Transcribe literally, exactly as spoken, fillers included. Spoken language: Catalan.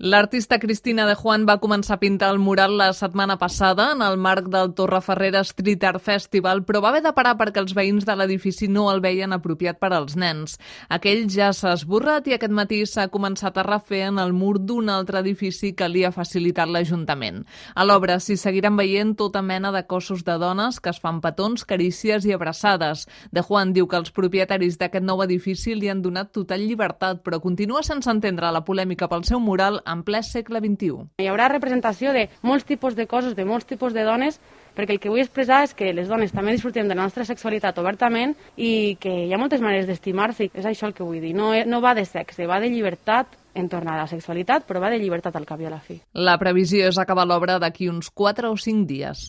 L'artista Cristina de Juan va començar a pintar el mural la setmana passada en el marc del Torreferrera Street Art Festival, però va haver de parar perquè els veïns de l'edifici no el veien apropiat per als nens. Aquell ja s'ha esborrat i aquest matí s'ha començat a refer en el mur d'un altre edifici que li ha facilitat l'Ajuntament. A l'obra s'hi seguiran veient tota mena de cossos de dones que es fan petons, carícies i abraçades. De Juan diu que els propietaris d'aquest nou edifici li han donat total llibertat, però continua sense entendre la polèmica pel seu mural en ple segle vint-i-u. Hi haurà representació de molts tipus de cossos, de molts tipus de dones, perquè el que vull expressar és que les dones també disfrutem de la nostra sexualitat obertament i que hi ha moltes maneres d'estimar-se. És això el que vull dir. No, no va de sexe, va de llibertat entorn a la sexualitat, però va de llibertat al cap i a la fi. La previsió és acabar l'obra d'aquí uns quatre o cinc dies.